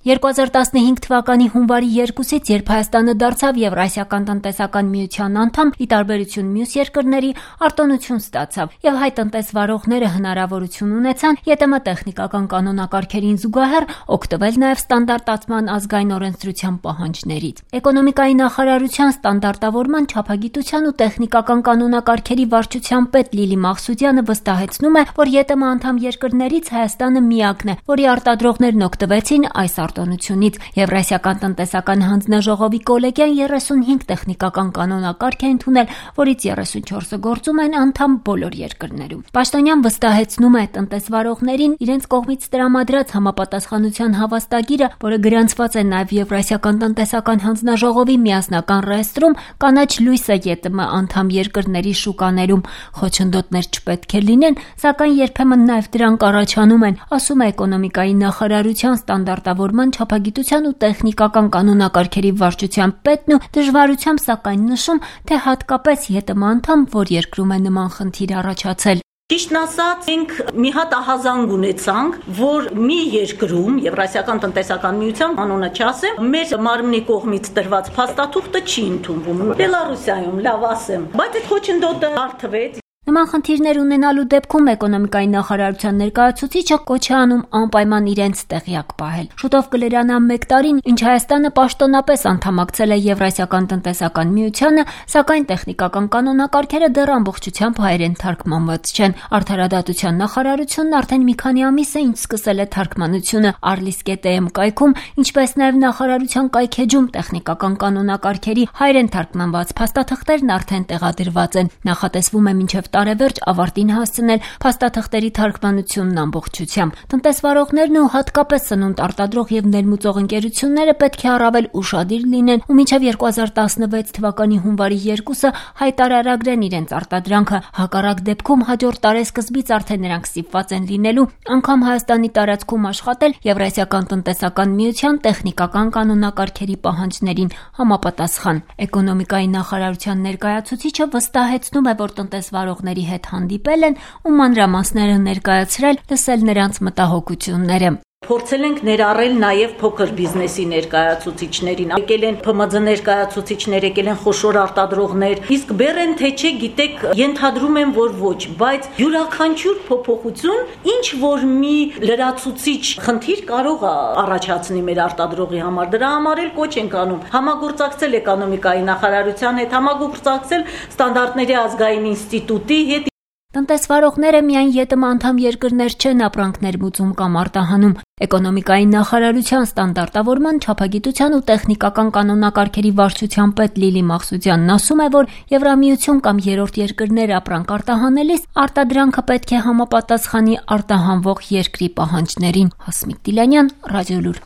2015 թվականի հունվարի 2-ից, երբ Հայաստանը դարձավ Եվրասիական տնտեսական միության անդամ, ի տարբերություն մյուս երկրների, արտոնություն ստացավ եւ հայ տնտեսվարողները հնարավորություն ունեցան ԵՏՄ տեխնիկական կանոնակարգերին զուգահեռ օգտվել նաեւ ստանդարտացման ազգային օրենսդրության պահանջներից։ Էկոնոմիկայի նախարարության ստանդարտավորման, չափագիտության ու տեխնիկական կանոնակարգերի վարչության պետ Լիլի Մաղսուդյանը վստահեցնում է, որ ԵՏՄ անդամ երկրներից Հայաստանը միակն է, որի արտադրողներն օգտվեցին այս արտոնությունից։ Եվրասիական տնտեսական հանձնաժողովի կոլեգիան 35 տեխնիկական կանոնակարգ է ընդունել, որից 34-ը գործում են անդամ բոլոր երկրներում։ Պաշտոնյան վստահեցնում է տնտեսվարողներին իրենց կողմից տրամադրած համապատասխանության հավաստագիրը, որը գրանցված է նաև Եվրասիական տնտեսական հանձնաժողովի միասնական ռեեստրում, կանաչ լույսը ԵՏՄ անդամ երկրների շուկաներում։ Խոչընդոտներ չպետք է լինեն, սակայն երբեմն նաև դրանք առաջանում են, ասում է էկոնոմիկայի նախարարության ստանդարտավորման, չափագիտության ու տեխնիկական կանոնակարգերի վարչության պետն ու դժվարությամբ սակայն նշում, թե հատկապես ԵՏՄ անդամ որ երկրում է նման խնդիր առաջացել։ Ճիշտն ասած, մենք մի հատ ահազանգ ունեցանք, որ մի երկրում, Եվրասիական տնտեսական միության, անունը չասեմ, մեր մարմնի կողմից տրված փաստաթուղթը չի ընդունվում։ Բելարուսիայում, լավ ասեմ, բայց այդ խոչընդոտը հարթվեց։ Նման խնդիրներ ունենալու դեպքում էկոնոմիկայի նախարարության ներկայացուցիչը կոչ է անում անպայման իրենց տեղյակ պահել։ Շուտով կլրանա 1 տարին, ինչ Հայաստանը պաշտոնապես անդամակցել է Եվրասիական տնտեսական միությանը, սակայն տեխնիկական կանոնակարգերը դեռ ամբողջությամբ հայերեն թարգմանված չեն։ Արդարադատության նախարարությունն արդեն մի քանի ամիս է ինչ սկսել է թարգմանությունը Arlis.am կայքում, ինչպես նաև նախարարության կայքեջում տեխնիկական կանոնակարգերի հայերեն թարգմանված փաստաթղթերն արդեն տեղադրված են։ Նախատեսվում է մինչև տարեվերջ ավարտին հասցնել փաստաթղթերի թարգմանությունն ամբողջությամբ։ Տնտեսվարողներն ու հատկապես սնունդ արտադրող եւ ներմուծող ընկերությունները պետք է առավել ուշադիր լինեն ու մինչև 2016 թվականի հունվարի 2-ը հայտարարագրեն իրենց արտադրանքը։ Հակառակ դեպքում հաջորդ տարեսկզբից արդեն նրանք ստիպված են լինելու անգամ Հայաստանի տարածքում աշխատել Եվրասիական տնտեսական միության տեխնիկական կանոնակարգերի պահանջներին համապատասխան։ Էկոնոմիկայի նախարարության ներկայացուցիչը վստահեցնում է, որ տնտեսվարողների հետ հանդիպել են ու մանրամասները ներկայացրել, լսել նրանց մտահոգությունները։ Փորձել ենք ներառել նաև փոքր բիզնեսի ներկայացուցիչներին, եկել են ՓՄԶ ներկայացուցիչներ, եկել են խոշոր արտադրողներ, իսկ բերեն թե չէ, գիտեք, ենթադրում են, որ ոչ, բայց յուրաքանչյուր փոփոխություն ինչ որ մի լրացուցիչ խնդիր կարող է առաջացնի մեր արտադրողի համար, դրա համար էլ կոչ ենք անում համագործակցել էկոնոմիկայի նախարարության հետ, համագործակցել ստանդարտների ազգային ինստիտուտի հետ։ Տնտեսվարողները միայն ԵՏՄ անդամ երկրներ չեն ապրանք ներմուծում կամ արտահանում։ Էկոնոմիկայի նախարարության ստանդարտավորման, չափագիտության ու տեխնիկական կանոնակարգերի վարչության պետ Լիլի Մաղսուդյանն ասում է, որ Եվրամիություն կամ երրորդ երկրներ ապրանք արտահանելիս արտադրանքը պետք է համապատասխանի արտահանվող երկրի պահանջներին։ Հասմիկ Տիլյանյան, Ռադիոլուր։